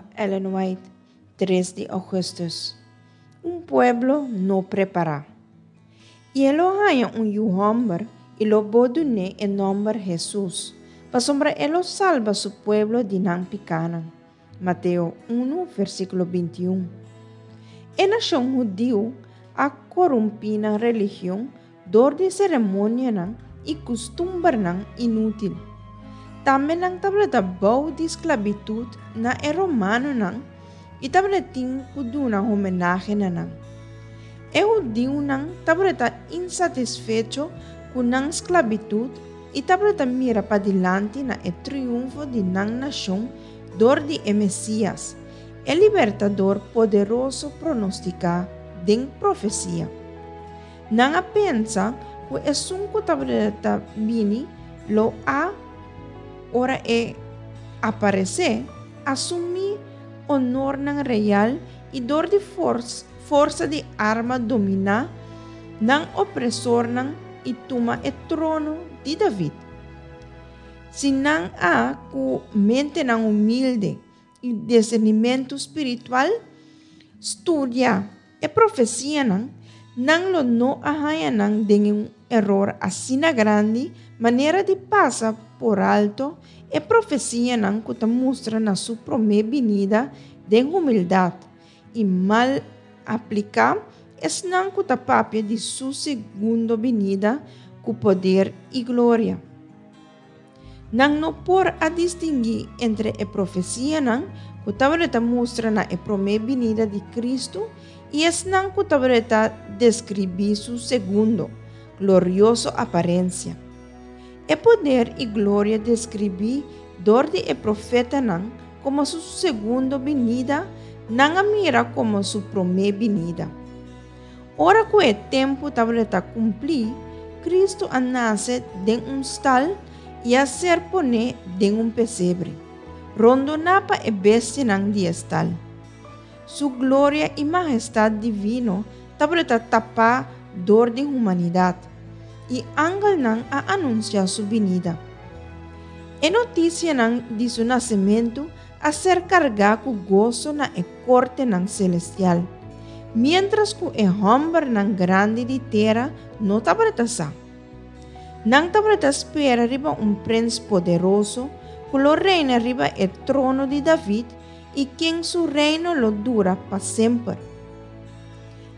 Mama Ellen White, 3 di ougùstùs. Un pueblo no prepará. I e lo haña un yu hòmber i lo bo dun'é e nòmber Hesus, pasobra e lo salba su pueblo di nan pikánan. Mateo 1, versíkulo 21. E nashon hudiu a korumpí nan religion dor di seremonianan i kustumbernan inútil. Tambe nan tabata bou di sklabitut na e romanonan i tabata tin ku duna homenahe na nan. E hudiunan tabata insatisfecho ku nan sklabitut i tabata mira padilanti na e triunfo di nan nashon dor di e Mesias, e Libertador poderoso pronostiká den profesia. Nan a pensa ku esun ku tabata bini lo a, ora e aparesé, asumí onornan real i dor di forsa di arma dominá nan opresornan i tuma e trono di David. Si nan a ku mentenan humilde i disernimentu spiritual studia e profesianan, nan lo no a haña nan den un eror asina grandi manera di pasa por alto e profesianan ku ta mustra na su promé binida den humildat i mal apliká esnan ku ta papia di su segundo binida ku poder i gloria. Nan no por a distinguí entre e profesianan ku tabata mustra na e promé binida di Kristu i esnan ku tabata deskribí su segundo, glorioso aparensia. E poder i gloria deskribí dor di e profetanan komo su segundo binida nan a mira komo su promé binida. Ora ku e tempu tabata kumplí, Kristu a nase den un stal i a ser poné den un pesebre, rondoná pa e bestianan di e stal. Su gloria i mahestat divino tabata tapá dor di humanidat, i angelnan a anunsiá su binida. E notisianan di su nasementu a ser kargá ku goso na e kortenan selestial, miéntras ku e hòmbernan grandi di tera no tabata sa. Nan tabata spera riba un prens poderoso ku lo reina riba e trono di David i ken su reino lo dura pa semper.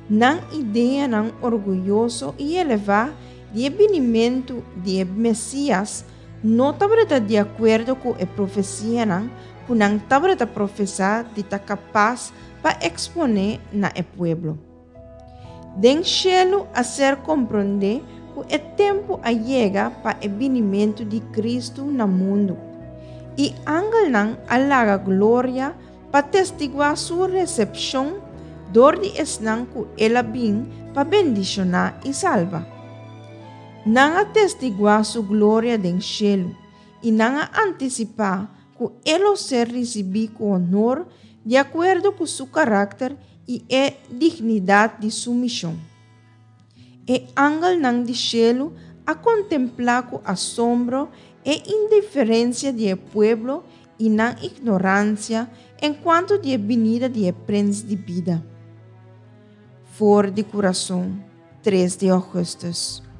Nan ideanan orguyoso i elevá di e binimentu di e Mesias no tabata di akuerdo ku e profesianan ku nan tabata profesá di ta kapas pa eksponé na e pueblo. Den shelu a ser komprondé ku e tempu a yega pa e binimentu di Kristu na mundu, i angelnan a laga gloria pa testiguá su resepshon dor di esnan ku el a bin pa bendishoná i salba. Nan a testiguá su gloria den shelu, i nan a antisipá ku e lo ser risibí ku honor di akuerdo ku su karakter i e dignidat di su mishon. E angelnan di shelu a kontemplá ku asombro e indiferensia di e pueblo i nan ignoransia enkuanto di e binida di e Prens di bida. For di kurason, 3 di ougùstùs.